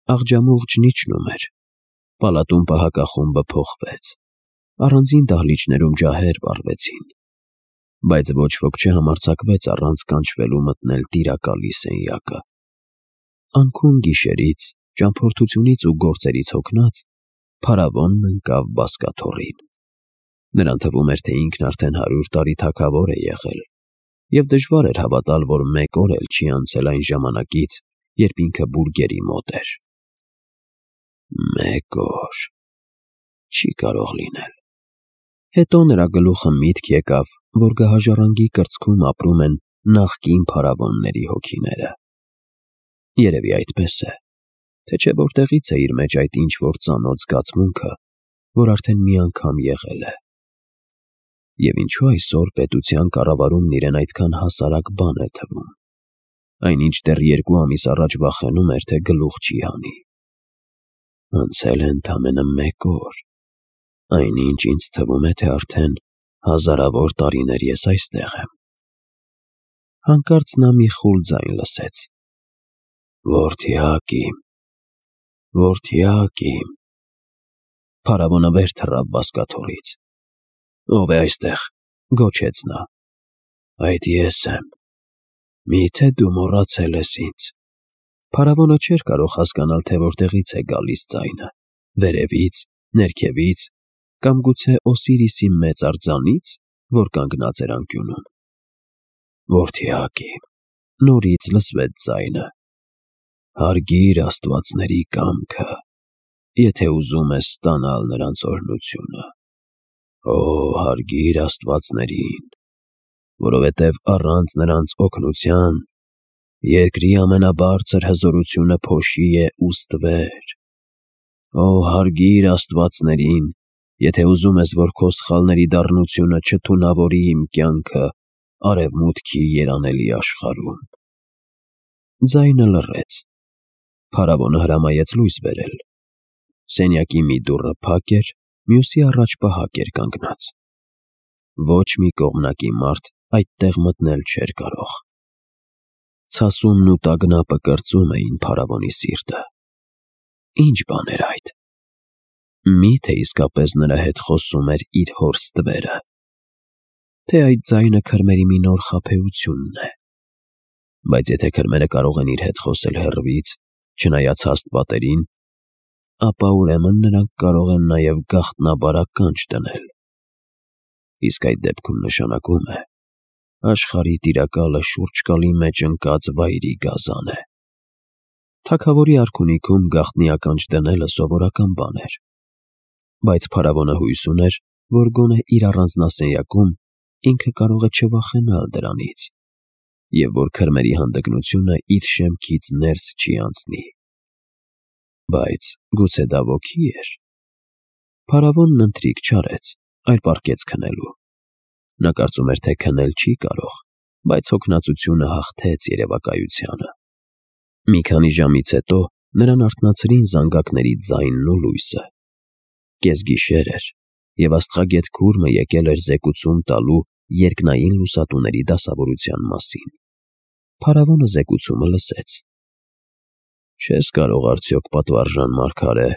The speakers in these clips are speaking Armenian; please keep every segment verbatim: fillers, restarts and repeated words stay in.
Աղջամուղջն իջնում էր, պալատում պահակախումբը փոխվեց, առանձին դահլիճներում ջահեր վառվեցին, բայց ոչ ոք չհամարձակվեց առանց կանչվելու մտնել տիրակալի սենյակը։ Անքուն գիշերից, ճամփորդությունից ու գործերից հոգնած, փարավոնն ընկավ բազկաթոռին։ Նրան թվում էր, թե ինքն արդեն հարյուր տարի թագավոր է եղել, և դժվար էր հավատալ, որ մեկ օր էլ չի անցել այն ժամանակից, երբ ինքը բուրգերի մոտ էր։ Մեկ օր… Չի կարող լինել։ Հետո նրա գլուխը միտք եկավ, որ գահաժառանգի կրծքում ապրում են նախկին փարավոնների հոգիները։ Երևի այդպես է, թե չէ որտեղից է իր մեջ այդ ինչ-որ ծանոթ զգացմունքը, որ արդեն մի անգամ եղել է։ Եվ ինչու այսօր պետության կառավարումն իրեն այդքան հասարակ բան է թվում, այնինչ դեռ երկու ամիս առաջ վախենում էր, թե գլուխ չի հանի։ Անցել է ընդամենը մեկ օր, այնինչ ինձ թվում է, թե արդեն հազարավոր տարիներ ես այստեղ եմ։ Հանկարծ նա մի խուլ ձայն լսեց. «Որդյակ իմ, որդյակ իմ»։ Փարավոնը վեր թռավ բազկաթոռից։ «Ո՞վ է այստեղ», գոչեց նա։ «Այդ ես եմ, մի՞թե դու մոռացել ես ինձ»։ Փարավոնը չէր կարող հասկանալ, թե որտեղից է գալիս ձայնը՝ վերևից, ներքևից, կամ գուցե Օսիրիսի մեծ արձանի՞ց, որ կանգնած էր անկյունում։ «Որդյակ իմ», նորից լսվեց ձայնը, «հարգիր աստվածների կամքը, եթե ուզում ես ստանալ նրանց օրհնությունը։ Օ, հարգիր աստվածներին, որովհետև առանց նրանց օգնության երկրի ամենաբարձր հզորությունը փոշի է ու ստվեր։ Օ, հարգիր աստվածներին, եթե ուզում ես, որ քո սխալների դառնությունը չթունավորի իմ կյանքը արևմուտքի երանելի աշխարհում»։ Ձայնը լռեց։ Փարավոնը հրամայեց լույս բերել։ Սենյակի մի դուռը փակ էր, մյուսի առաջ պահակ էր կանգնած։ Ոչ մի կողմնակի մարդ այդտեղ մտնել չէր կարող։ Ցասումն ու տագնապը կրծում էին փարավոնի սիրտը։ Ի՞նչ բան էր այդ։ Մի՞թե իսկապես նրա հետ խոսում էր իր հոր ստվերը, թե այդ ձայնը քրմերի մի նոր խաբեությունն է։ Բայց եթե քրմերը կարող են իր հետ խոսել հեռվից, չնայած հաստ պատերին, ապա ուրեմն նրանք կարող են նաև գաղտնաբար ականջ դնել։ Իսկ այդ դեպքում նշանակում է՝ աշխարհի տիրակալը շուրջկալի մեջ ընկած վայրի գազան է։ Թագավորի արքունիքում գաղտնի ականջ դնելը սովորական բան էր։ Բայց փարավոնը հույս ուներ, որ գոնե իր առանձնասենյակում ինքը կարող է չվախենալ դրանից, և որ քրմերի հանդգնությունը իր շեմքից ներս չի անցնի։ Բայց գուցե դա ոգի էր։ Փարավոնն ընթրիք չարեց, այլ պառկեց քնելու։ Նա կարծում էր, թե քնել չի կարող, բայց հոգնածությունը հաղթեց երևակայությանը։ Մի քանի ժամից հետո նրան արթնացրին զանգակների ձայնն ու լույսը։ Կեսգիշեր էր, և աստղագետ քուրմը եկել էր զեկուցում տալու երկնային լուսատուների դասավորության մասին։ Փարավոնը զեկուցումը լսեց։ «Չես կարող արդյոք, պատվարժան մարգարե,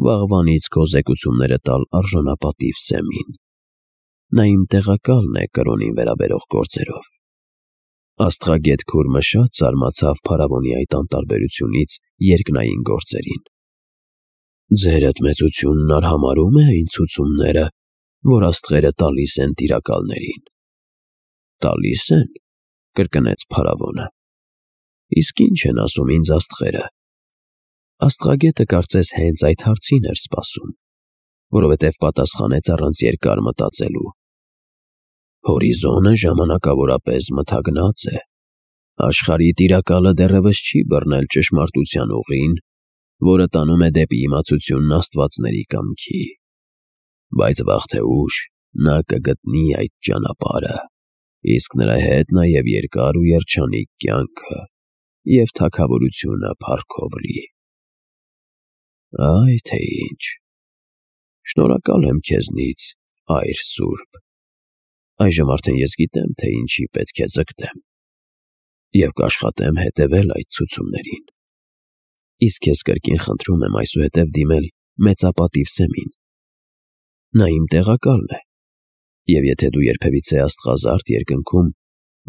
վաղվանից քո զեկուցումները տալ արժանապատիվ Սեմին։ Նա իմ տեղակալն է կրոնին վերաբերող գործերով»։ Աստղագետ քուրմը շատ զարմացավ փարավոնի այդ անտարբերությունից երկնային գործերին։ «Ձերդ մեծությունն արհամարհո՞ւմ է այն ցուցումները, որ աստղերը տալիս են տիրակալներին»։ «Տալի՞ս են», կրկնեց փարավոնը։ «Իսկ ի՞նչ են ասում ինձ աստղերը»։ Աստղագետը կարծես հենց այդ հարցին էր սպասում, որովհետև պատասխանեց առանց երկար մտածելու. «Հորիզոնը ժամանակավորապես մթագնած է։ Աշխարհի տիրակալը դեռևս չի բռնել ճշմարտության ուղին, որը տանում է դեպի իմացությունն աստվածների կամքի։ Բայց վաղ թե ուշ նա կգտնի այդ ճանապարհը, իսկ նրա հետ նաև երկար ու երջանիկ կյանքը և թագավորությունը փառքով լի»։ «Այ թե ինչ։ Շնորհակալ եմ քեզնից, այր սուրբ։ Այժմ արդեն ես գիտեմ, թե ինչի պետք է ձգտեմ, և կաշխատեմ հետևել այդ ցուցումներին»։ Իսկ քեզ կրկին խնդրում եմ այսուհետև դիմել մեծապատիվ սեմին։ Նա իմ տեղակալն է, և եթե դու երբևիցե աստղազարդ երկնքում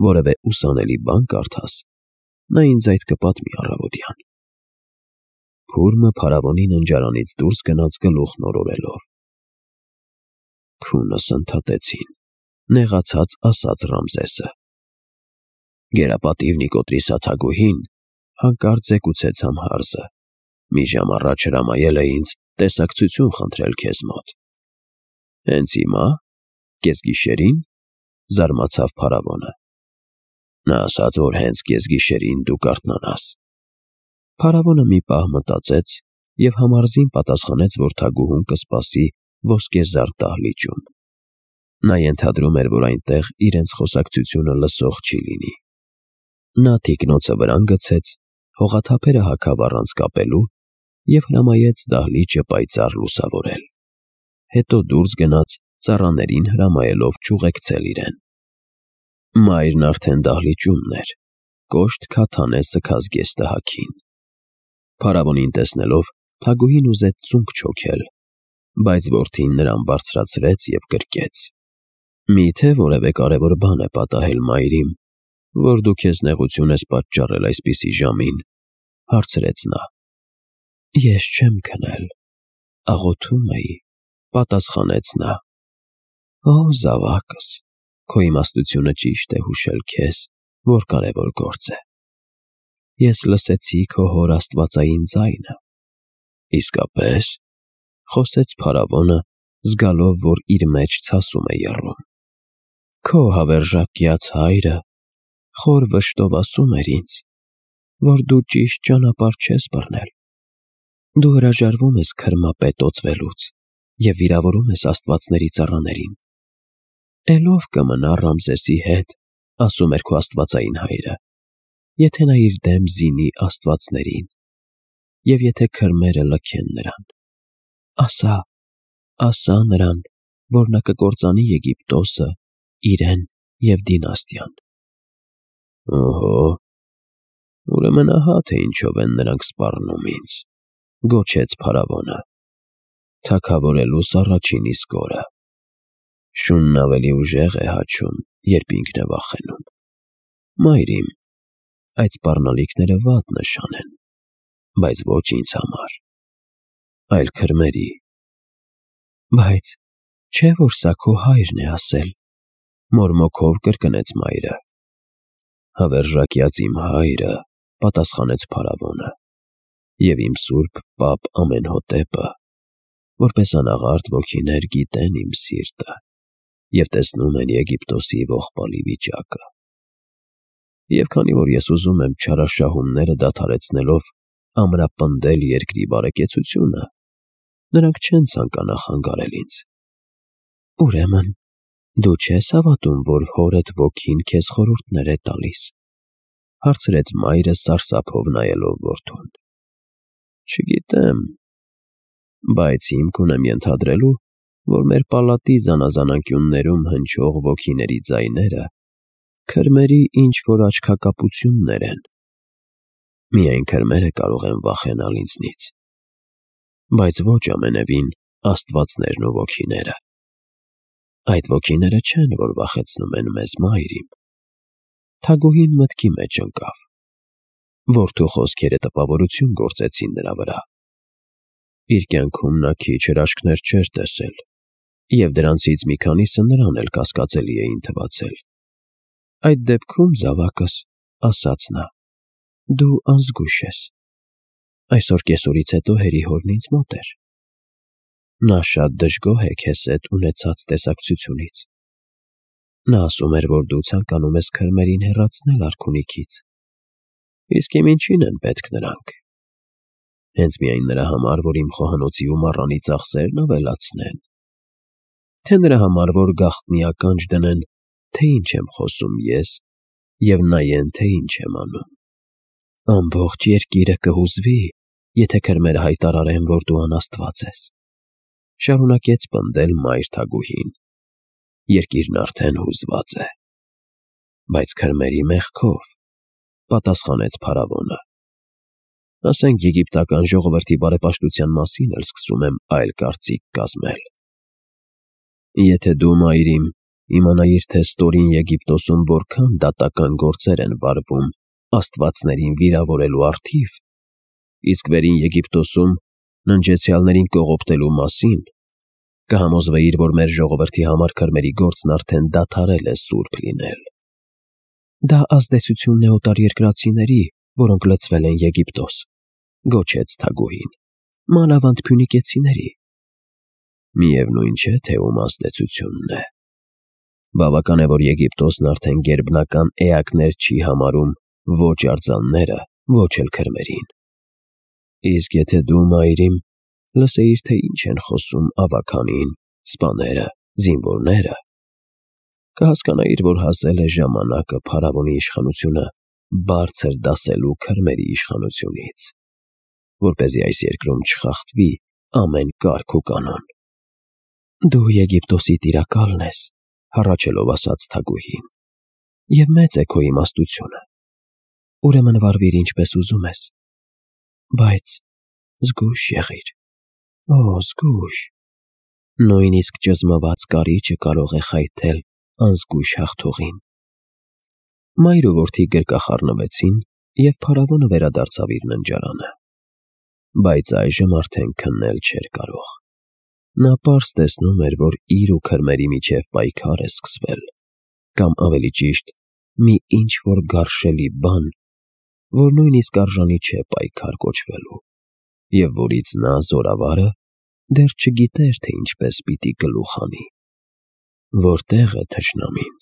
որևէ ուսանելի բան կարդաս, նա ինձ այդ կպատմի առավոտյան։ Փուրմը փարավոնի ննջարանից դուրս գնաց գլուխն օրորելով։ Քունս ընդհատեցին, նեղացած ասաց Ռամզեսը։ Գերապատիվ Նիկոտրիսա Թագուհին հանկարծ զեկուցեց Ամհարսը։ Մի ժամ առաջ հրամայել է ինձ տեսակցություն խնդրել քեզ մոտ։ Հենց հիմա, կեսգիշերին, զարմացավ փարավոնը։ Նա ասաց, որ հենց կեսգիշերին դու կարթնանաս։ Փարավոնը մի պահ մտածեց և Համարզին պատասխանեց, որ թագուհուն կսպասի ոսկեզարդ դահլիճում։ Նա ենթադրում էր, որ այնտեղ իրենց խոսակցությունը լսող չի լինի։ Նա թիկնոցը վրան գցեց, հողաթափերը հագավ առանց կապելու և հրամայեց դահլիճը պայծառ լուսավորել։ Հետո դուրս գնաց, ծառաներին հրամայելով չուղեկցել իրեն։ Մայրն արդեն դահլիճումն էր, կոշտ քաթան է սգած գեստահաքին։ Փարավոնին տեսնելով, թագուհին ուզեց ծունկ չոքել, բայց որդին նրան բարձրացրեց և գրկեց։ Մի՞թե որևէ կարևոր բան է պատահել մայրիմ, որ դու քեզ նեղություն ես պատճառել այսպիսի ժամին, հարցրեց նա։ Ես չեմ քնել, աղոթում էի, պատասխանեց նա։ Օ զավակս, քո իմաստությունը ճիշտ է հուշել քեզ, որ կարևոր գործ է։ Ես լսեցի քո հոր աստվածային ձայնը։ Իսկապես, խոսեց փարավոնը, զգալով, որ իր մեջ ցասում է եռում։ Քո հավերժակյաց հայրը խոր վշտով ասում էր ինձ, որ դու ճիշտ ճանապարհ չես բռնել։ Դու հրաժարվում ես քրմապետ օծվելուց և վիրավորում ես աստվածների ծառաներին։ Էլով կմնա Ռամզեսի հետ, ասում էր քո աստվածային հայրը, եթե նա իր դեմ զինի աստվածներին, և եթե քրմերը լքեն նրան։ Ասա, ասա նրան, որ նա կկործանի Եգիպտոսը, իրեն և դինաստիան։ Օհո, ուրեմն ահա թե ինչով են նրանք սպառնում ինձ, գոչեց փարավոնը։ Թագավորելուս առաջին իսկ օրը։ Շունն ավելի ուժեղ է հաչում, երբ ինքն է վախենում։ Մայրիմ, այդ սպառնալիքները վատ նշան են, բայց ոչ ինձ համար, այլ քրմերի։ Բայց չէ՞ որ սա քո հայրն է ասել, մորմոքով կրկնեց մայրը։ Հավերժակյաց իմ հայրը, պատասխանեց փարավոնը, և իմ սուրբ պապ Ամենհոտեպը, որպես անաղարտ ոգիներ գիտեն իմ սիրտը և տեսնում են Եգիպտոսի ողբալի վիճակը։ Եվ քանի որ ես ուզում եմ չարաշահումները դադարեցնելով ամրապնդել երկրի բարեկեցությունը, նրանք չեն ցանկանա խանգարել ինձ։ Ուրեմն դու չես հավատում, որ հորդ ոգին քեզ խորհուրդներ է տալիս, հարցրեց մայրը սարսափով նայելով որդուն։ Չգիտեմ, բայց հիմք ունեմ ենթադրելու, որ մեր պալատի զանազան հնչող ոգիների ձայները քրմերի ինչ-որ աչքակապություններ են։ Միայն քրմերը կարող են վախենալ ինձնից, բայց ոչ ամենևին աստվածներն ու ոգիները։ Այդ ոգիները չեն, որ վախեցնում են մեզ, մայրիմ։ Թագուհին մտքի մեջ ընկավ։ Որդու խոսքերը տպավորություն գործեցին նրա վրա։ Իր կյանքում նա քիչ հրաշքներ չէր տեսել, և դրանցից մի քանիսը նրան էլ կասկածելի էին թվացել։ Այդ դեպքում, զավակս, ասաց նա, դու անզգույշ ես։ Այսօր կեսօրից հետո հերիհորն ինձ մոտ էր։ Նա շատ դժգոհ է քեզ հետ ունեցած տեսակցությունից։ Նա ասում էր, որ դու ցանկանում ես քրմերին հեռացնել արքունիքից։ Իսկ իմ ինչին են պետք նրանք։ Հենց միայն նրա համար, որ իմ խոհանոցի ու մառանի ծախսերն ավելացնեն։ Թե նրա համար, որ գաղտնի ականջ դնեն, թե ինչ եմ խոսում ես, և նայեն, թե ինչ եմ անում։ Ամբողջ երկիրը կհուզվի, եթե քրմերը հայտարարեն, որ դու անաստված ես, շարունակեց պնդել մայր թագուհին։ Երկիրն արդեն հուզված է։ Բայց քրմերի մեղքով, պատասխանեց փարավոնը։ ասենք եգիպտական ժողովրդի բարեպաշտության մասին էլ սկսում եմ այլ կարծիք կազմել։ Եթե դու, մայրիմ, իմանայիր, թե ստորին Եգիպտոսում որքան դատական գործեր են վարվում աստվածներին վիրավորելու առթիվ, իսկ վերին Եգիպտոսում ննջեցյալներին կողոպտելու մասին, կհամոզվեիր, որ մեր ժողովրդի համար քրմերի գործն արդեն դադարել է սուրբ լինել։ Դա ազդեցությունն է օտարերկրացիների, որոնք լցվել են Եգիպտոս, գոչեց թագուհին, մանավանդ փյունիկեցիների։ Միևնույն չէ, թե ում ազդեցությունն է։ Բավական է, որ Եգիպտոսն արդեն գերբնական էակներ չի համարում ոչ արձանները, ոչ էլ քրմերին։ Իսկ եթե դու, մայրիմ, լսեիր, թե ինչ են խոսում ավագանին, սպաները, զինվորները, կհասկանայիր, որ հասել է ժամանակը փարավոնի իշխանությունը բարձր դասելու քրմերի իշխանությունից, որպեսզի այս երկրում չխախտվի ամեն կարգ ու կանոն։ Դու Եգիպտոսի տիրակալն ես, հառաչելով ասաց թագուհին, և մեծ է քո իմաստությունը, ուրեմն վարվիր ինչպես ուզում ես, բայց զգույշ եղիր, օ, զգույշ, նույնիսկ ճզմված կարիճը կարող է խայթել անզգույշ հաղթողին։ Մայր ու որդի գրկախառնվեցին, և փարավոնը վերադարձավ իր ննջարանը, բայց այժմ արդեն քննել չէր կարող։ Նա պարզ տեսնում էր, որ իր ու քրմերի միջև պայքար է սկսվել, կամ ավելի ճիշտ, մի ինչ-որ գարշելի բան, որ նույնիսկ արժանի չէ պայքար կոչվելու, և որից նա, զորավարը, դեռ չգիտեր, թե ինչպես պիտի գլուխ հանի։ Որտե՞ղ է թշնամին,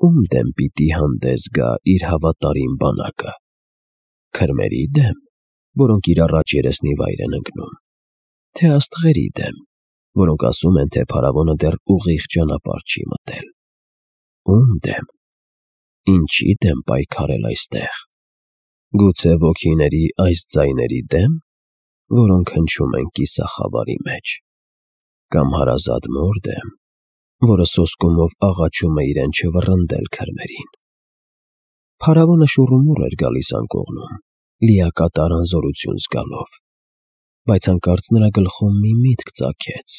ում դեմ պիտի հանդես գա իր հավատարիմ բանակը, քրմերի դեմ, որոնք իր առաջ երեսնիվայր են ընկնում, թե աստղերի դեմ, որոնք ասում են, թե փարավոնը դեռ ուղիղ ճանապարհ չի մտել։ Ում դեմ, ինչի դեմ պայքարել այստեղ, գուցե ոգիների այս ձայների դեմ, որոնք հնչում են կիսախավարի մեջ, կամ հարազատ մոր դեմ, որը սոսկումով աղաչում է իրեն չվռնդել քրմերին։ Փարավոնը շուռումուռ էր գալիս անկողնում, լիակատար անզորություն զգալով, բայց հանկարծ նրա գլխում մի միտք ծագեց.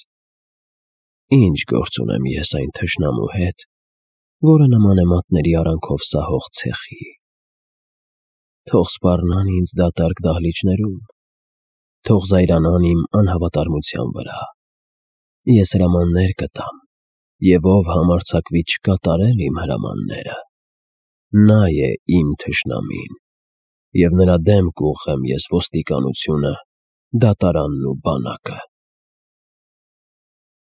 ինչ գործ ունեմ ես այն թշնամու հետ, որը նման է մատների արանքով սահող ցեխի։ Թող սպառնան ինձ դատարկ դահլիճներում, թող զայրանան իմ անհավատարմության վրա։ Ես հրամաններ կտամ, և ով համարձակվի չկատարել իմ հրամանները, նա է իմ թշնամին, և նրա դեմ կուղղեմ ես ոստիկանությունը, դատարանն ու բանակը։